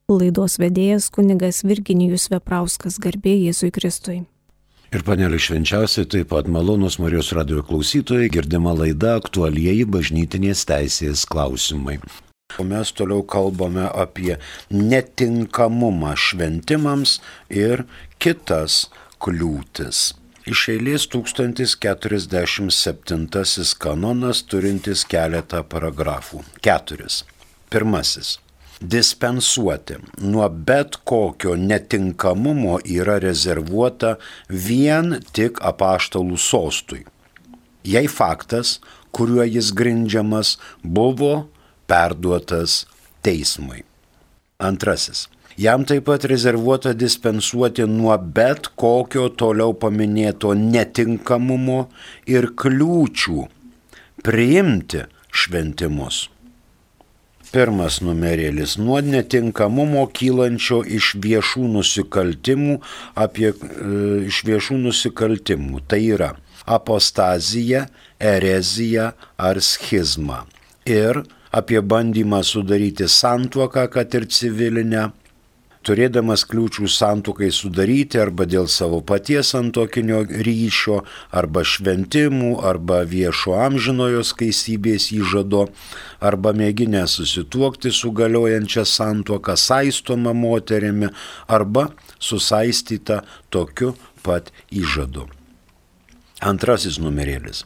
Laidos vedėjas kunigas Virginijus Veprauskas, garbė Jėzui Kristui. Ir panelė švenčiausiai, taip pat malonūs Marijos radijo klausytojai, girdima laida aktualieji bažnytinės teisės klausimai. O mes toliau kalbame apie netinkamumą šventimams ir kitas kliūtis. Iš eilės 1047 kanonas turintis keletą paragrafų. 4. Pirmasis. Dispensuoti nuo bet kokio netinkamumo yra rezervuota vien tik apaštalų sostui. Jei faktas, kuriuo jis grindžiamas, buvo perduotas teismui. Antrasis. Jam taip pat rezervuota dispensuoti nuo bet kokio toliau paminėto netinkamumo ir kliūčių priimti šventimus. Pirmas numerėlis – nuo netinkamumo kylančio iš viešų nusikaltimų. Tai yra apostazija, erezija ar schizma. Ir apie bandymą sudaryti santuoką, kad ir civilinę, turėdamas kliūčių santuokai sudaryti arba dėl savo paties santuokinio ryšio, arba šventimų, arba viešo amžinojo skaistybės įžado, arba mėginę susituokti su galiojančia santuoka saistoma moterimi, arba susaistyta tokiu pat įžadu. Antrasis numerėlis.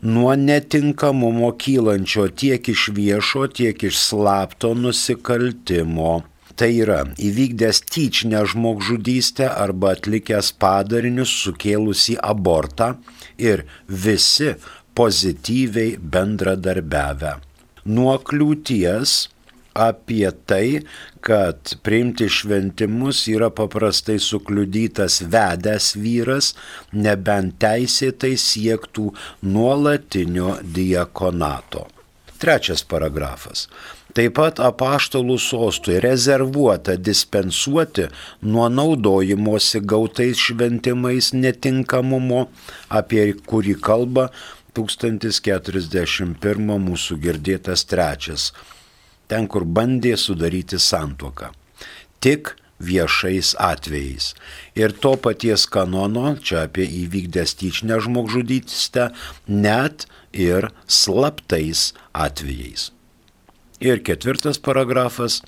Nuo netinkamumo kylančio tiek iš viešo, tiek iš slapto nusikaltimo. Tai yra įvykdęs tyčinę žmogžudystę arba atlikęs padarinius sukėlusį abortą ir visi pozityviai bendradarbiavę. Nuo kliūties apie tai, kad priimti šventimus yra paprastai sukliudytas vedęs vyras, nebent teisėtai siektų nuolatinio diakonato. Trečias paragrafas. Taip pat apaštalų sostui rezervuota dispensuoti nuo naudojimosi gautais šventimais netinkamumo, apie kurį kalba 1041 mūsų girdėtas 3. Ten, kur bandė sudaryti santuoką. Tik viešais atvejais. Ir to paties kanono, čia apie įvykdęs tyčinę žmogžudystę, net ir slaptais atvejais. Ir 4 paragrafas.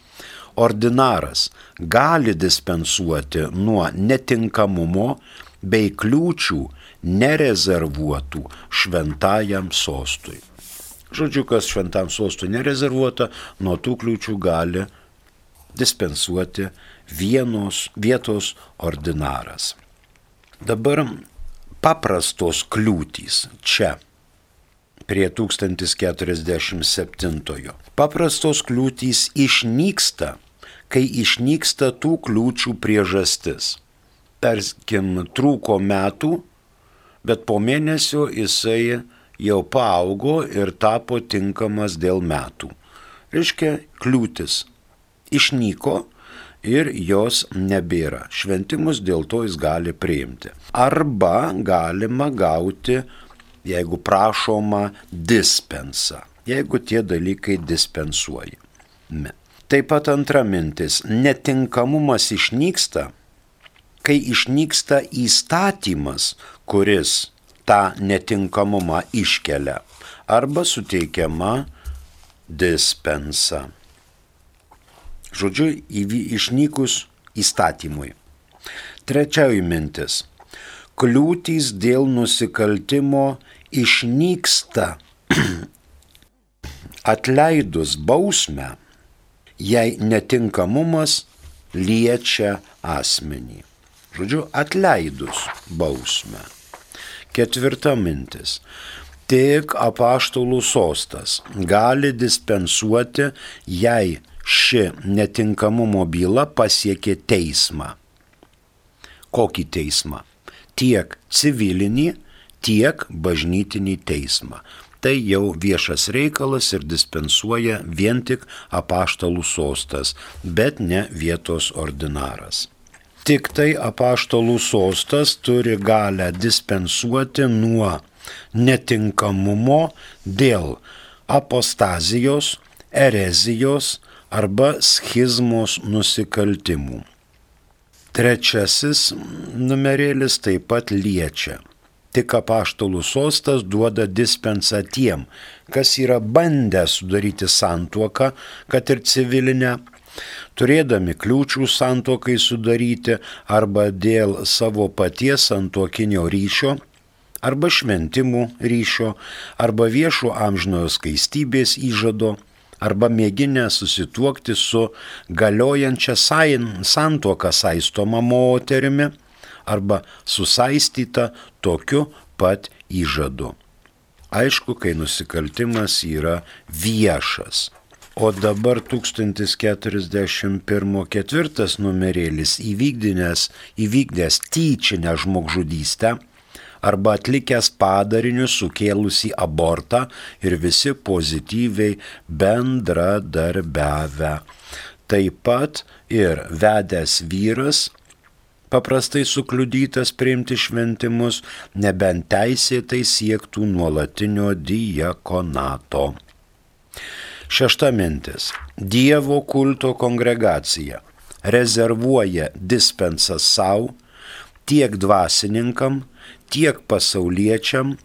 Ordinaras gali dispensuoti nuo netinkamumo bei kliūčių nerezervuotų šventajam sostui. Žodžiu, kas šventam sostui nerezervuota, nuo tų kliūčių gali dispensuoti vietos ordinaras. Dabar paprastos kliūtys čia. Prie 1047. Paprastos kliūtys išnyksta, kai išnyksta tų kliūčių priežastis. Tarkim, trūko metų, bet po mėnesio jisai jau paaugo ir tapo tinkamas dėl metų. Reiškia, kliūtis išnyko ir jos nebėra. Šventimus dėl to jis gali priimti. Arba galima gauti, jeigu prašoma, dispensą, jeigu tie dalykai dispensuoja. Taip pat antra mintis, netinkamumas išnyksta, kai išnyksta įstatymas, kuris tą netinkamumą iškelia, arba suteikiama dispensa. Žodžiu, išnykus įstatymui. Trečioji mintis. Kliūtys dėl nusikaltimo išnyksta atleidus bausmę, jei netinkamumas liečia asmenį. Žodžiu, atleidus bausmę. 4 mintis. Tik apaštalų sostas gali dispensuoti, jei ši netinkamumo byla pasiekė teismą. Kokį teismą? Tiek civilinį, tiek bažnytinį teismą. Tai jau viešas reikalas ir dispensuoja vien tik apaštalų sostas, bet ne vietos ordinaras. Tik tai apaštalų sostas turi galę dispensuoti nuo netinkamumo dėl apostazijos, erezijos arba schizmos nusikaltimų. Trečiasis numerėlis taip pat liečia. Tik apaštalų sostas duoda dispensą tiem, kas yra bandę sudaryti santuoką, kad ir civilinę, turėdami kliūčių santuokai sudaryti arba dėl savo paties santuokinio ryšio, arba šventimų ryšio, arba viešo amžinojo skaistybės įžado, arba mėginę susituokti su galiojančia santuoka saistoma moterimi, arba susaistyta tokiu pat įžadu. Aišku, kai nusikaltimas yra viešas. O dabar 1041 ketvirtas numerėlis įvykdęs tyčinę žmogžudystę arba atlikęs padarinius sukėlusį abortą ir visi pozityviai bendradarbiavę. Taip pat ir vedęs vyras, paprastai sukliudytas priimti šventimus, nebent teisėtai siektų nuolatinio diakonato. Šešta mintis. Dievo kulto kongregacija rezervuoja dispensą savo tiek dvasininkam, tiek pasauliečiam,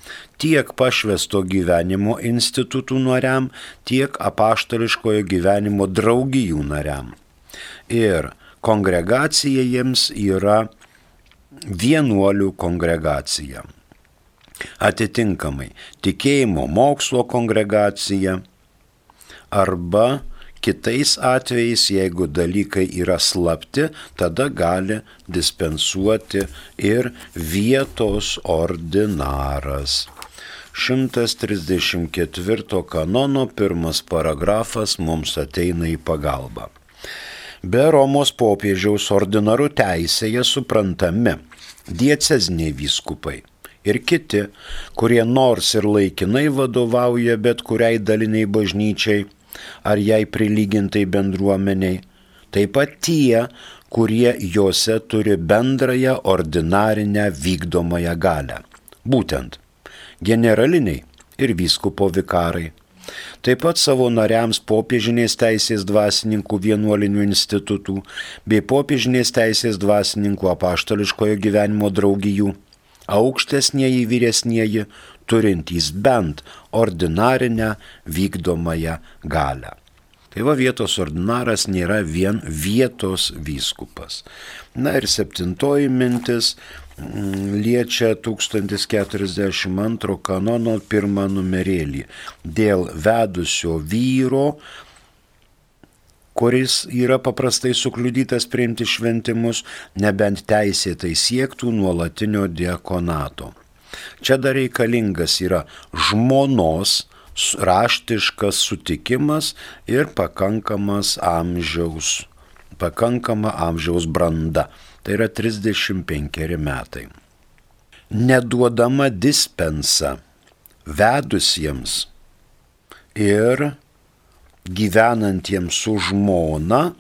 tiek pašvęsto gyvenimo institutų nariam, tiek apaštališkojo gyvenimo draugijų nariam. Ir kongregacija jiems yra vienuolių kongregacija. Atitinkamai tikėjimo mokslo kongregacija arba kitais atvejais, jeigu dalykai yra slapti, tada gali dispensuoti ir vietos ordinaras. 134 kanono 1 paragrafas mums ateina į pagalbą. Be Romos popiežiaus ordinarų teisėje suprantami dieceziniai vyskupai ir kiti, kurie nors ir laikinai vadovauja bet kuriai daliniai bažnyčiai ar jai prilygintai bendruomeniai, taip pat tie, kurie juose turi bendrąją ordinarinę vykdomąją galią. Būtent generaliniai ir vyskupo vikarai. Taip pat savo nariams popiežinės teisės dvasininkų vienuolinių institutų bei popiežinės teisės dvasininkų apaštališkojo gyvenimo draugijų, aukštesnieji vyresnieji, turintys bent ordinarinę vykdomąją galią. Tai va, vietos ordinaras nėra vien vietos vyskupas. Na ir 7 mintis liečia 1042 kanono 1 numerėlį dėl vedusio vyro, kuris yra paprastai sukliudytas priimti šventimus, nebent teisėtai siektų nuolatinio diakonato. Čia dar reikalingas yra žmonos raštiškas sutikimas ir pakankama amžiaus branda. Tai yra 35 metai. Neduodama dispensa vedusiems ir gyvenantiems su žmona,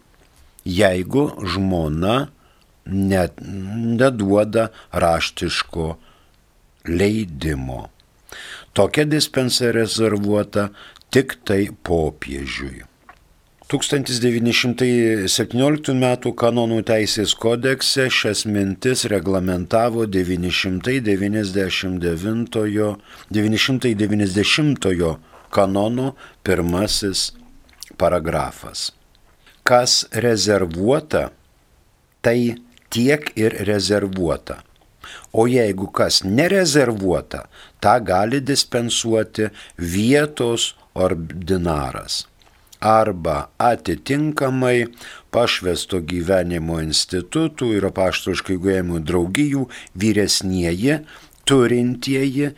jeigu žmona neduoda raštiško leidimo. Tokia dispensa rezervuota tik tai popiežiui. 1917 m. kanonų teisės kodekse šias mintis reglamentavo 990 kanono 1 paragrafas. Kas rezervuota, tai tiek ir rezervuota. O jeigu kas nerezervuota, tą gali dispensuoti vietos ordinaras arba atitinkamai pašvęsto gyvenimo institutų ir apaštališkų gyvenimo draugijų vyresnieji, turintieji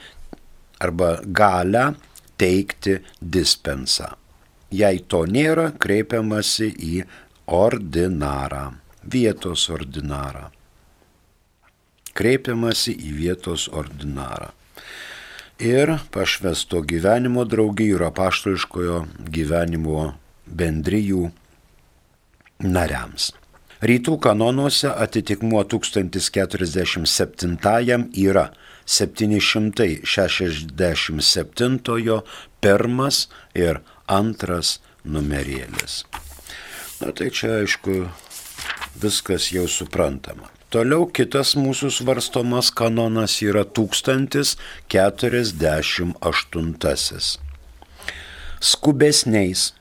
arba galią teikti dispensą. Jei to nėra, kreipiamasi į ordinarą, vietos ordinarą. Kreipiamasi į vietos ordinarą. Ir pašvęsto gyvenimo draugijų ir apaštališkojo gyvenimo bendrijų nariams. Rytų kanonuose atitikmuo 1047 yra 767 1 ir 2 numerėlis. Na tai čia aišku viskas jau suprantama. Toliau kitas mūsų svarstomas kanonas yra 1048. Skubesniais,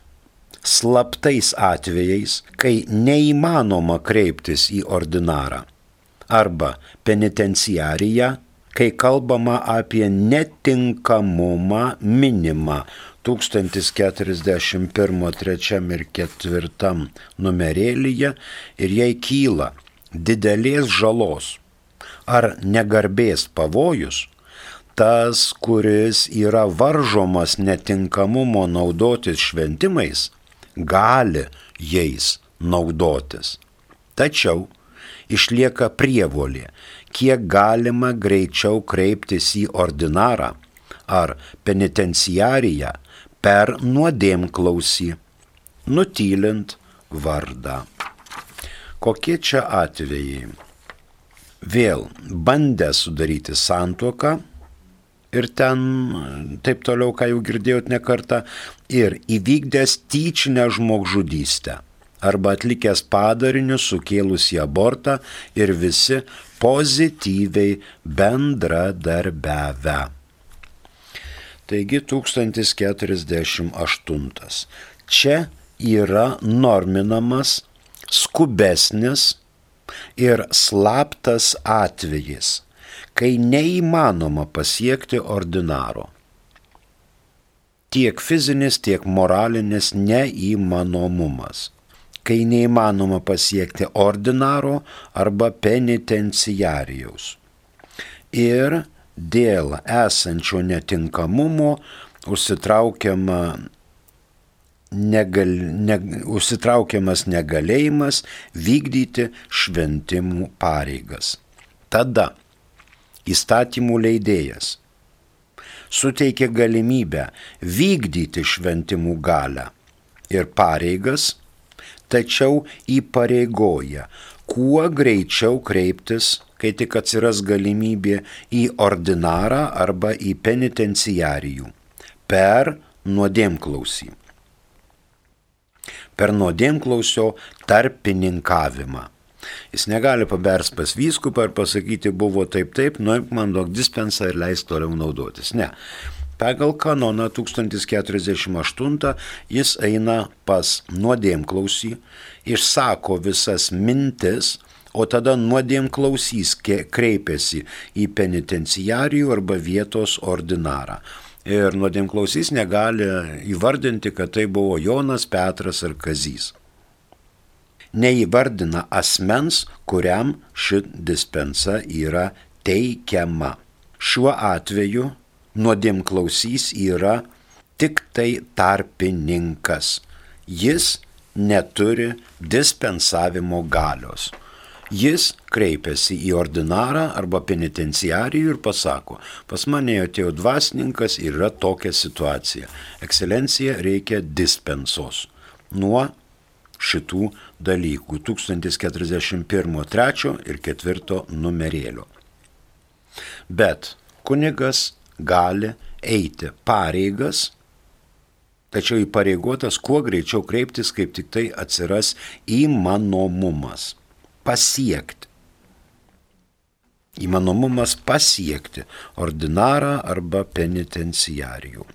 slaptais atvejais, kai neįmanoma kreiptis į ordinarą arba penitenciariją, kai kalbama apie netinkamumą minimą 1041 3 ir 4 numerėlyje ir jai kyla didelės žalos ar negarbės pavojus, tas, kuris yra varžomas netinkamumo naudotis šventimais, gali jais naudotis. Tačiau išlieka prievolė, kiek galima greičiau kreiptis į ordinarą ar penitenciariją per nuodėmklausį, nutylint vardą. Kokie čia atvejai? Vėl bandę sudaryti santuoką ir ten taip toliau, ką jau girdėjot ne kartą, ir įvykdęs tyčinę žmogžudystę arba atlikęs padarinius sukėlusį abortą ir visi pozityviai bendradarbiavę. Taigi 1048. Čia yra norminamas skubesnis ir slaptas atvejis, kai neįmanoma pasiekti ordinaro. Tiek fizinis, tiek moralinis neįmanomumas. Kai neįmanoma pasiekti ordinaro arba penitenciarijaus. Ir dėl esančio netinkamumo užsitraukiamas negalėjimas vykdyti šventimų pareigas. Tada įstatymų leidėjas suteikia galimybę vykdyti šventimų galią ir pareigas, tačiau įpareigoja kuo greičiau kreiptis, kai tik atsiras galimybė, į ordinarą arba į penitenciarijų per nuodėmklausį. Per nuodėmklausio tarpininkavimą. Jis negali pabers pas vyskupą ir pasakyti, buvo taip, nuimk man duok dispensą ir leis toliau naudotis. Ne. Pagal kanoną 1048 jis eina pas nuodėmklausį, išsako visas mintis, o tada nuodėmklausys kreipiasi į penitenciarijų arba vietos ordinarą. Ir nuodėmklausys negali įvardinti, kad tai buvo Jonas, Petras ar Kazys. Neįvardina asmens, kuriam ši dispensa yra teikiama. Šiuo atveju nuodėmklausys yra tik tai tarpininkas. Jis neturi dispensavimo galios. Jis kreipiasi į ordinarą arba penitenciarijų ir pasako, pas mane atėjo dvasininkas ir yra tokia situacija. Ekscelencija, reikia dispensos nuo šitų dalykų 1041 3 ir 4 numerėlio. Bet kunigas gali eiti pareigas, tačiau įpareigotas kuo greičiau kreiptis, kaip tik tai atsiras įmanomumas pasiekti. Įmanomumas pasiekti ordinarą arba penitenciarijų.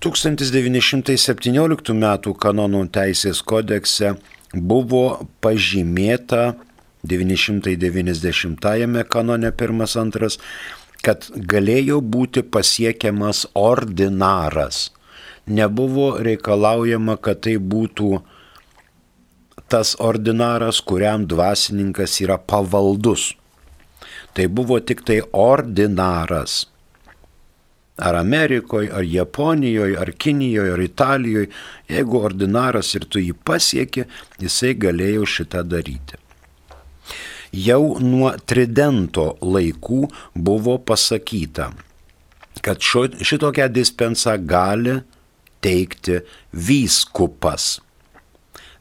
1917 m. kanonų teisės kodekse buvo pažymėta 990 kanone 1-2, kad galėjo būti pasiekiamas ordinaras. Nebuvo reikalaujama, kad tai būtų tas ordinaras, kuriam dvasininkas yra pavaldus. Tai buvo tik tai ordinaras. Ar Amerikoje, ar Japonijoje, ar Kinijoje, ar Italijoje, jeigu ordinaras ir tu jį pasieki, jisai galėjo šitą daryti. Jau nuo Tridento laikų buvo pasakyta, kad šitokią dispensą gali teikti vyskupas.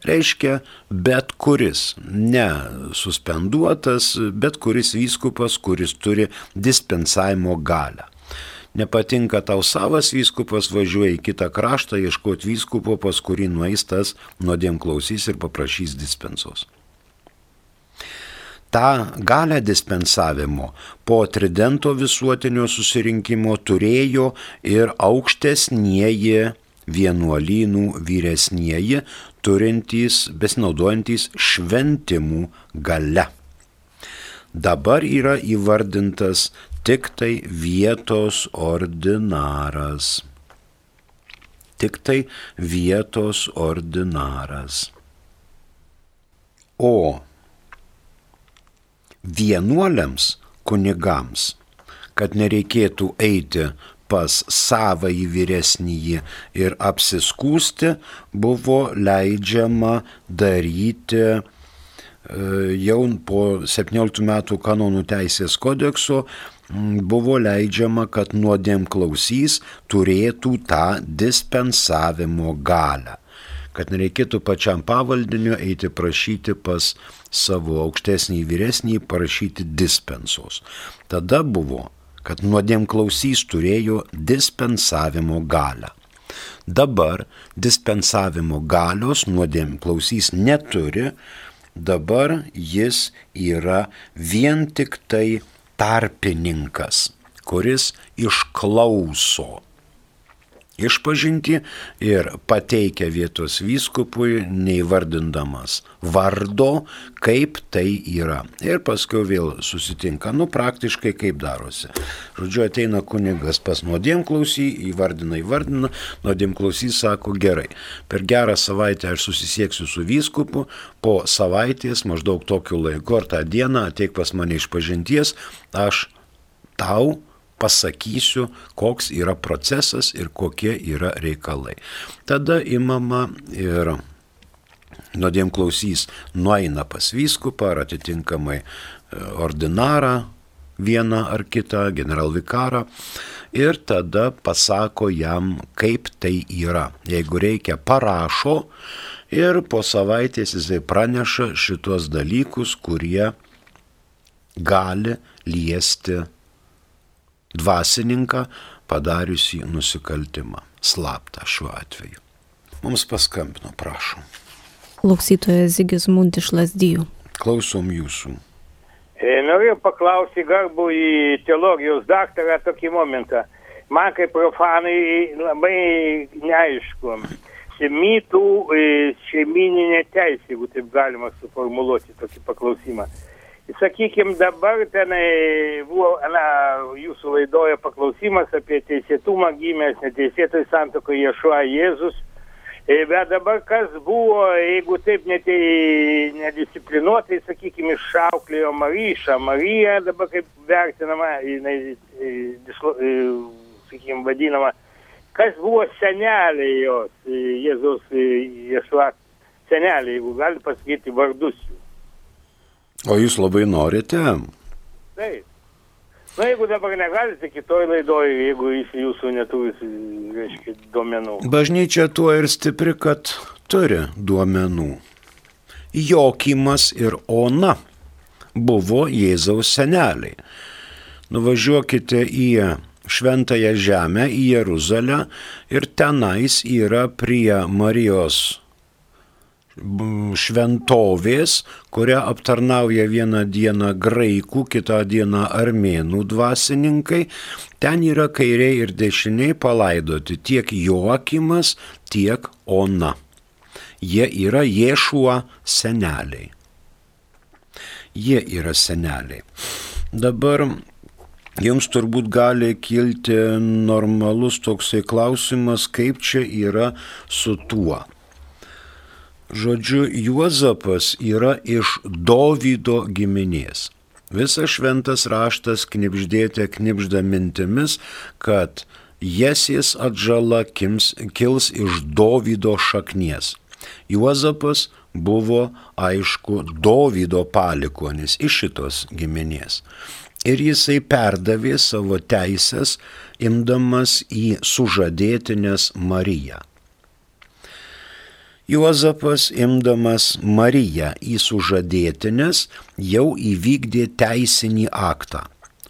Reiškia, bet kuris, ne suspenduotas, bet kuris vyskupas, kuris turi dispensavimo galią. nepatinka tau savas vyskupas, važiuoja į kitą kraštą ieškoti vyskupo, pas kurį nueis tas nuodėmklausys ir paprašys dispensos. Ta galią dispensavimo po Tridento visuotinio susirinkimo turėjo ir aukštesnieji vienuolynų vyresnieji, turintys, besinaudojantys šventimų gale. Dabar yra įvardintas tik tai vietos ordinaras. Tik tai vietos ordinaras. O vienuoliams, kunigams, kad nereikėtų eiti pas savąjį vyresnįjį ir apsiskūsti, buvo leidžiama daryti jau po 17 metų kanonų teisės kodekso, buvo leidžiama, kad nuodėmklausys turėtų tą dispensavimo galią. Kad nereikėtų pačiam pavaldiniu eiti prašyti pas savo aukštesnį vyresnį, prašyti dispensos. Tada buvo, kad nuodėmklausys turėjo dispensavimo galią. Dabar dispensavimo galios nuodėmklausys neturi, dabar jis yra vien tik tai tarpininkas, kuris išklauso išpažintį ir pateikia vietos vyskupui, neįvardindamas vardo, kaip tai yra. Ir paskui vėl susitinka, praktiškai kaip darosi. Žodžiu, ateina kunigas pas nuodėmklausį, įvardina, nuodėmklausys sako, gerai, per gerą savaitę aš susisieksiu su vyskupu, po savaitės, maždaug tokiu laiku ar tą dieną, ateik pas mane išpažinties, aš tau pasakysiu, koks yra procesas ir kokie yra reikalai. Tada imama ir nuodėmklausys nueina pas vyskupą ar atitinkamai ordinarą vieną ar kitą, generalvikarą, ir tada pasako jam, kaip tai yra. Jeigu reikia, parašo ir po savaitės jisai praneša šitos dalykus, kurie gali liesti dvasininką padariusį nusikaltimą, slaptą šiuo atveju. Mums paskambino, prašom. Klausytojas Zigismund iš Lazdijų. Klausom jūsų. Norėjau paklausyti garbų į teologijos daktarą tokį momentą. Man kaip profanai labai neaišku. Semitų šeimininė teisė, jeigu taip galima suformuluoti tokį paklausimą. Sakykime, dabar tenai buvo jūsų laidoje paklausimas apie teisėtumą gimęs neteisėtoj santuokoje Ješua Jėzus. Bet dabar kas buvo, jeigu taip nedisciplinuotai, sakykime, išauklėjo Mariją, dabar kaip vertinama, jinai, sakykime, vadinama, kas buvo seneliai jos, Jėzus Ješua seneliai, jeigu gali pasakyti vardus jų. O jūs labai norite? Taip. Jeigu dabar negalite kitoj laidoje, jeigu jis jūsų neturi, reiškia, duomenų. Bažnyčia tuo ir stipri, kad turi duomenų. Jokimas ir Ona buvo Jėzaus seneliai. Nuvažiuokite į Šventąją Žemę, į Jeruzalę, ir tenais yra prie Marijos šventovės, kurią aptarnauja vieną dieną graikų, kitą dieną armėnų dvasininkai. Ten yra kairiai ir dešiniai palaidoti tiek Joakimas, tiek Ona. Jie yra Ješua seneliai. Jie yra seneliai. Dabar jums turbūt gali kilti normalus toksai klausimas, kaip čia yra su tuo. Žodžiu, Juozapas yra iš Dovydo giminės. Visas šventas raštas knibžda mintimis, kad Jesės atžala kils iš Dovydo šaknies. Juozapas buvo, aišku, Dovydo palikuonis iš šitos giminės. Ir jisai perdavė savo teisės, imdamas į sužadėtinės Mariją. Juozapas, imdamas Mariją į sužadėtines, jau įvykdė teisinį aktą.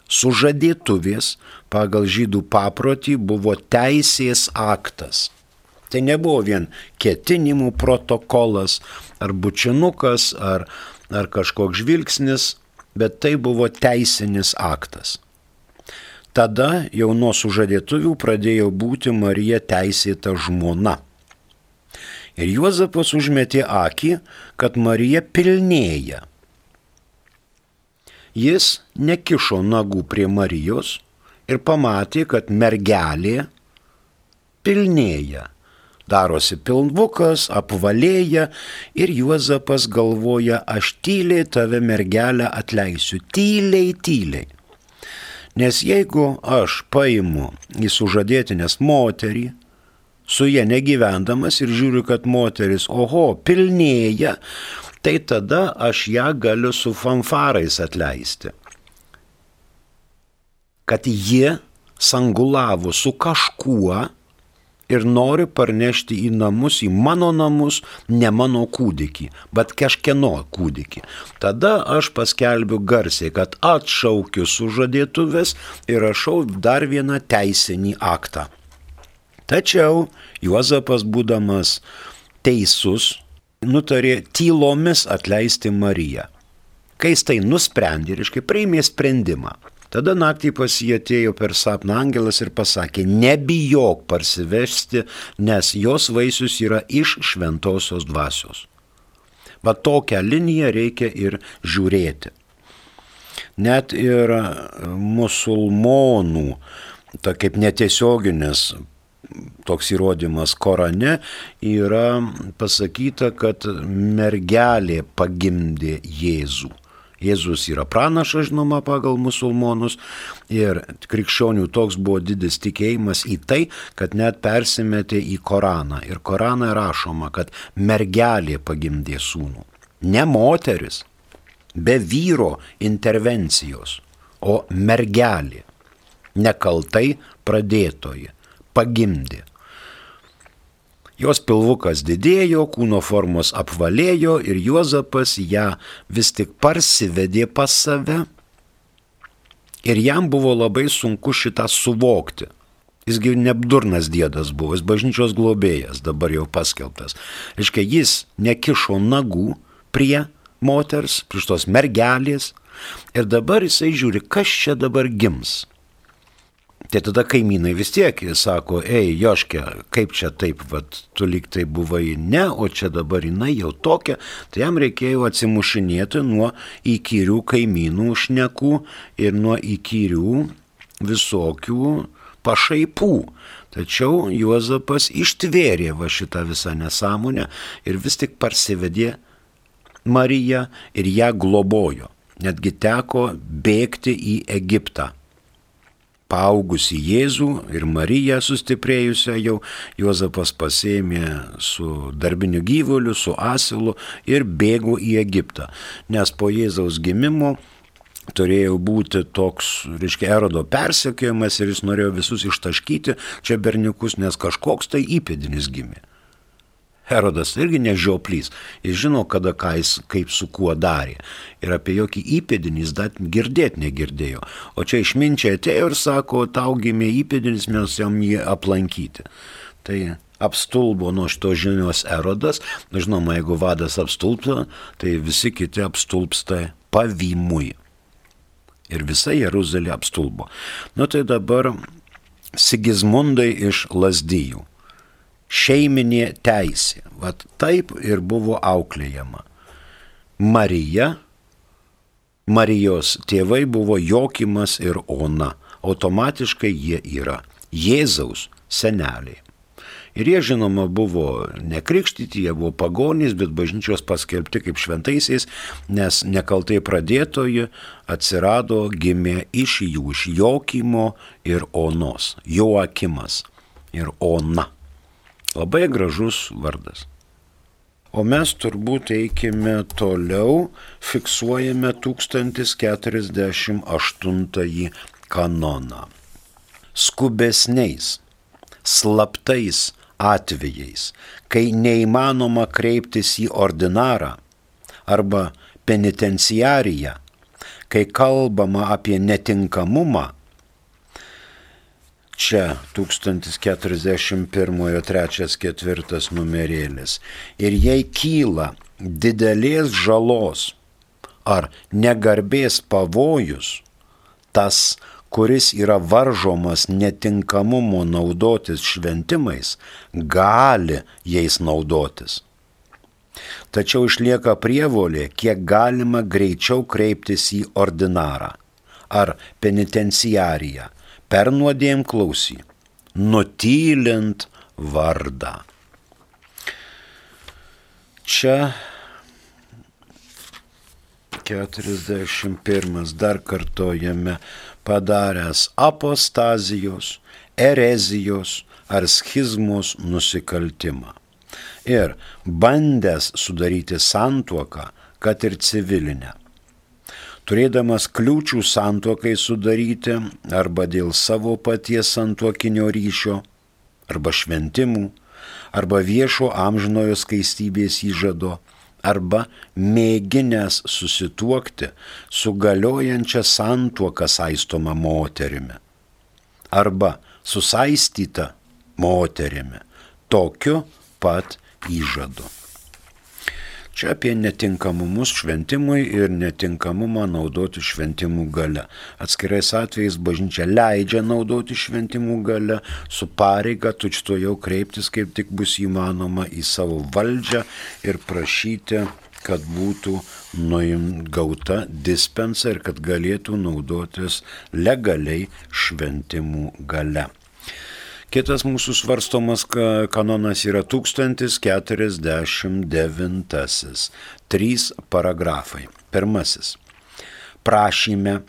Sužadėtuvės pagal žydų paprotį buvo teisės aktas. Tai nebuvo vien ketinimų protokolas, ar bučinukas, ar kažkoks žvilgsnis, bet tai buvo teisinis aktas. Tada jau nuo sužadėtuvių pradėjo būti Marija teisėta žmona. Ir Juozapas užmetė akį, kad Marija pilnėja. Jis nekišo nagų prie Marijos ir pamatė, kad mergelė pilnėja. Darosi pilvukas, apvalėja ir Juozapas galvoja, aš tyliai tave mergelę atleisiu, tyliai. Nes jeigu aš paimu į sužadėtinės moterį, su ja negyvendamas ir žiūriu, kad moteris, pilnėja, tai tada aš ją galiu su fanfarais atleisti. Kad ji sangulavo su kažkuo, ir nori parnešti į namus, į mano namus, ne mano kūdikį, bet kažkieno kūdikį. Tada aš paskelbiu garsiai, kad atšaukiu sužadėtuves ir rašau dar vieną teisinį aktą. Tačiau Juozapas, būdamas teisus, nutarė tylomis atleisti Mariją. Kai jis tai nusprendė, priėmė sprendimą. Tada naktį pas jį atėjo per sapną angelas ir pasakė, nebijok parsivesti, nes jos vaisius yra iš šventosios dvasios. Va tokią liniją reikia ir žiūrėti. Net ir musulmonų, kaip netiesioginis toks įrodymas Korane, yra pasakyta, kad mergelė pagimdė Jėzų. Jėzus yra pranašas, žinoma, pagal musulmonus ir krikščionių toks buvo didis tikėjimas į tai, kad net persimetė į Koraną. Ir Korane rašoma, kad mergelė pagimdė sūnų. Ne moteris, be vyro intervencijos, o mergelė, nekaltai pradėtoji, pagimdė. Jos pilvukas didėjo, kūno formos apvalėjo ir Juozapas ją vis tik parsivedė pas save ir jam buvo labai sunku šitą suvokti. Jisgi nebdurnas diedas buvo, jis bažnyčios globėjas, dabar jau paskelbtas. Jis nekišo nagų prie moters, prie tos mergelės ir dabar jisai žiūri, kas čia dabar gims. Tai tada kaimynai vis tiek sako, Joške, kaip čia taip, tu lyg tai buvai ne, o čia dabar jinai jau tokia, tai jam reikėjo atsimušinėti nuo įkyrių kaimynų šnekų ir nuo įkyrių visokių pašaipų. Tačiau Juozapas ištvėrė šitą visą nesąmonę ir vis tik parsivedė Mariją ir ją globojo. Netgi teko bėgti į Egiptą. Paaugusi Jėzų ir Mariją sustiprėjusią jau, Juozapas pasėmė su darbiniu gyvuliu, su asilu ir bėgo į Egiptą. Nes po Jėzaus gimimo turėjo būti toks, Erodo persekiojimas ir jis norėjo visus ištaškyti čia berniukus, nes kažkoks tai įpėdinis gimė. Herodas irgi nežioplys, jis žino, kada ką jis kaip su kuo darė. Ir apie jokį įpėdinį jis dar girdėti negirdėjo. O čia išminčiai atėjo ir sako, tau gimė įpėdinis, mes jam jį aplankyti. Tai apstulbo nuo šito žinios Erodas. Žinoma, jeigu vadas apstulbsta, tai visi kiti apstulbsta pavymui. Ir visa Jeruzalė apstulbo. Tai dabar Sigismundai iš Lazdijų. Šeiminė teisė. Vat taip ir buvo auklėjama. Marijos tėvai buvo Jokimas ir Ona. Automatiškai jie yra Jėzaus seneliai. Ir jie, žinoma, buvo nekrikštyti, jie buvo pagonys, bet bažnyčios paskelbti kaip šventaisiais, nes nekaltai pradėtoji atsirado, gimė iš jų, iš Jokimo ir Onos. Joakimas ir Ona. Labai gražus vardas. O mes turbūt eikime toliau, fiksuojame 1048 kanoną. Skubesniais, slaptais atvejais, kai neįmanoma kreiptis į ordinarą arba penitenciariją, kai kalbama apie netinkamumą, Čia 1041-3-4 numerėlis. Ir jei kyla didelės žalos ar negarbės pavojus, tas, kuris yra varžomas netinkamumo naudotis šventimais, gali jais naudotis. Tačiau išlieka prievolė, kiek galima greičiau kreiptis į ordinarą ar penitenciariją per nuodėmklausį, nutylint vardą. Čia 41 dar kartojame padaręs apostazijos, erezijos ar schizmos nusikaltimą ir bandęs sudaryti santuoką, kad ir civilinę. Turėdamas kliūčių santuokai sudaryti arba dėl savo paties santuokinio ryšio, arba šventimų, arba viešo amžinojo skaistybės įžado, arba mėginęs susituokti su galiojančia santuoka saistoma moterimi, arba susaistyta moterimi, tokiu pat įžadu. Čia apie netinkamumus šventimui ir netinkamumą naudoti šventimų gale. Atskirais atvejais bažnyčia leidžia naudoti šventimų gale, su pareiga tučtuojau kreiptis, kaip tik bus įmanoma, į savo valdžią ir prašyti, kad būtų gauta dispensa ir kad galėtų naudotis legaliai šventimų gale. Kitas mūsų svarstomas kanonas yra 1049. 3 paragrafai. Pirmasis. Prašyme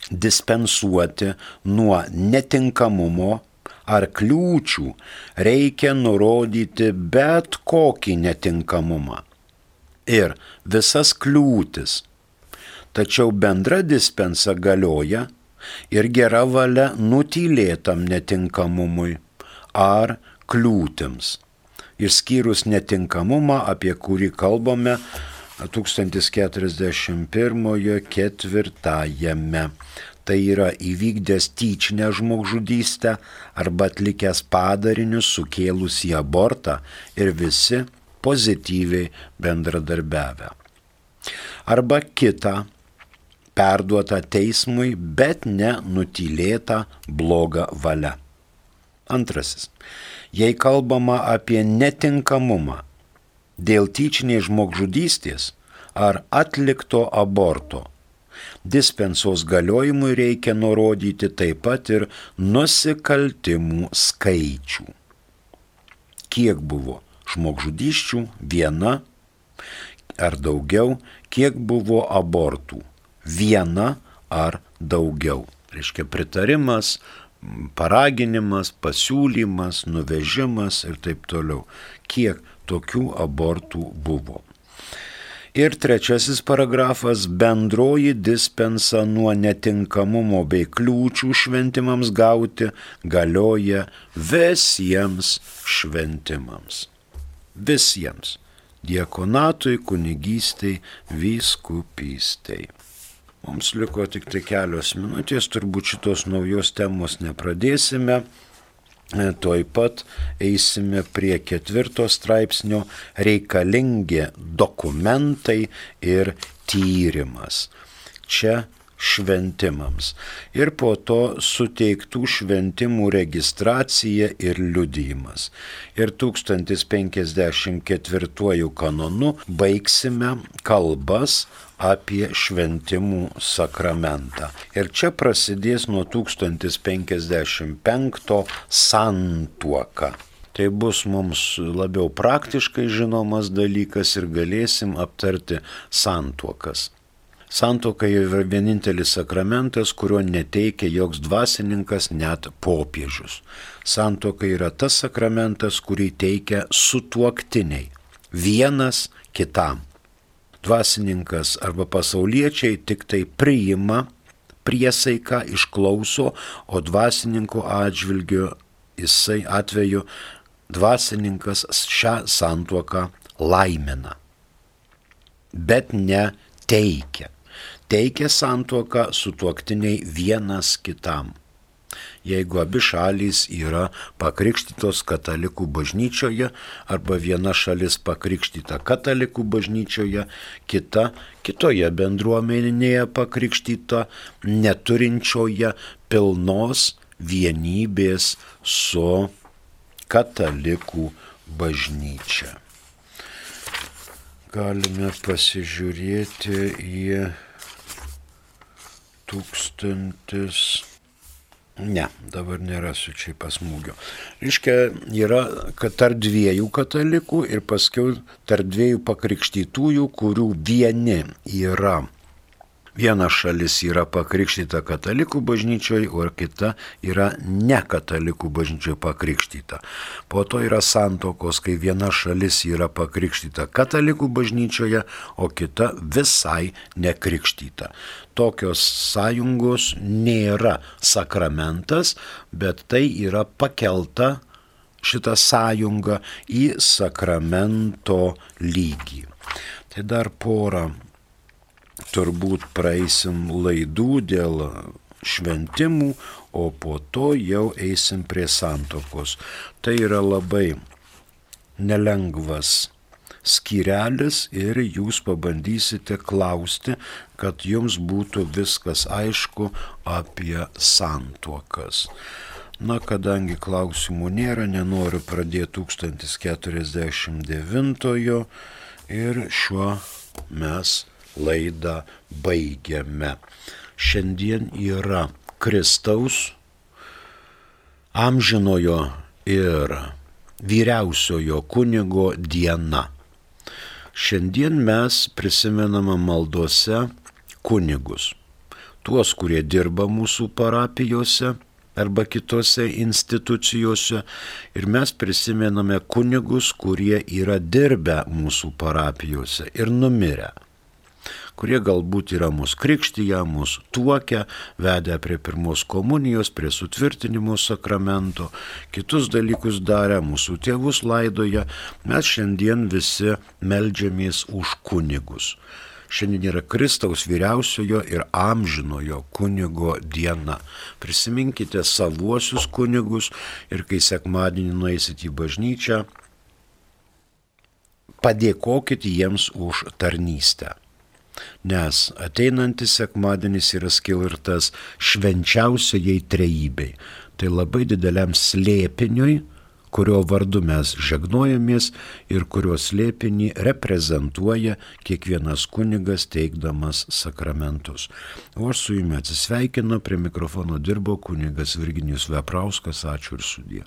dispensuoti nuo netinkamumo ar kliūčių reikia nurodyti bet kokį netinkamumą ir visas kliūtis. Tačiau bendra dispensa galioja ir gera valia nutylėtam netinkamumui ar kliūtims, išskyrus netinkamumą, apie kurį kalbame 1041-4. Tai yra įvykdęs tyčinę žmogžudystę arba atlikęs padarinius sukėlusį abortą ir visi pozityviai bendradarbiavę. Arba kita, perduota teismui, bet ne nutylėta bloga valia. Antrasis. Jei kalbama apie netinkamumą dėl tyčinės žmogžudystės ar atlikto aborto, dispensos galiojimui reikia nurodyti taip pat ir nusikaltimų skaičių. Kiek buvo žmogžudysčių, viena ar daugiau, kiek buvo abortų, viena ar daugiau. Reiškia pritarimas, paraginimas, pasiūlymas, nuvežimas ir taip toliau. Kiek tokių abortų buvo. Ir trečiasis paragrafas, bendroji dispensa nuo netinkamumo bei kliūčių šventimams gauti galioja visiems šventimams. Visiems. Diakonatui, kunigystei, vyskupystei. Mums liko tik tai kelios minutės, turbūt šitos naujos temos nepradėsime. Tuoj pat eisime prie 4 straipsnio reikalingi dokumentai ir tyrimas. Čia šventimams. Ir po to suteiktų šventimų registracija ir liudijimas. Ir 1054 kanonu baigsime kalbas apie šventimų sakramentą. Ir čia prasidės nuo 1055 santuoka. Tai bus mums labiau praktiškai žinomas dalykas ir galėsim aptarti santuokas. Santuoka yra vienintelis sakramentas, kurio neteikia joks dvasininkas, net popiežius. Santuoka yra tas sakramentas, kurį teikia sutuoktiniai, vienas kitam. Dvasininkas arba pasauliečiai tik tai priima priesaiką, išklauso, o dvasininko atžvilgiu atveju dvasininkas šią santuoką laimina, bet ne teikia. Teikia santuoką sutuoktiniai vienas kitam. Jeigu abi šalys yra pakrikštytos katalikų bažnyčioje arba viena šalis pakrikštyta katalikų bažnyčioje, kita kitoje bendruomenėje pakrikštyta, neturinčioje pilnos vienybės su katalikų bažnyčia. Galime pasižiūrėti į dabar nerasiu čia pasmūgio. Reiškia, yra kad tarp dviejų katalikų ir paskiau tarp dviejų pakrikštytųjų, kurių viena šalis yra pakrikštyta katalikų bažnyčioje, o kita yra ne katalikų bažnyčioje pakrikštyta. Po to yra santuokos, kai viena šalis yra pakrikštyta katalikų bažnyčioje, o kita visai nekrikštyta. Tokios sąjungos nėra sakramentas, bet tai yra pakelta šita sąjunga į sakramento lygį. Tai dar porą turbūt praeisim laidų dėl šventimų, o po to jau eisim prie santuokos. Tai yra labai nelengvas skyrelis ir jūs pabandysite klausti, kad jums būtų viskas aišku apie santuokas. Na, kadangi klausimų nėra, nenoriu pradėti 1049 ir šiuo mes laidą baigiame. Šiandien yra Kristaus, amžinojo ir vyriausiojo kunigo diena. Šiandien mes prisimename maldose kunigus, tuos, kurie dirba mūsų parapijose arba kitose institucijose, ir mes prisimename kunigus, kurie yra dirbę mūsų parapijose ir numirę, kurie galbūt yra mūsų krikštyje, mūsų tuokę, vedę prie pirmos komunijos, prie sutvirtinimo sakramento, kitus dalykus darę, mūsų tėvus laidoja. Mes šiandien visi meldžiamės už kunigus. Šiandien yra Kristaus vyriausiojo ir amžinojo kunigo diena. Prisiminkite savuosius kunigus ir kai sekmadienį nueisit į bažnyčią, padėkokit jiems už tarnystę. Nes ateinantis sekmadienis yra skirtas švenčiausiajai trejybei. Tai labai dideliam slėpiniui, kurio vardu mes žegnojamės ir kurio slėpinį reprezentuoja kiekvienas kunigas teikdamas sakramentus. O aš su jumis atsisveikinu, prie mikrofono dirbo kunigas Virginijus Veprauskas. Ačiū ir sudie.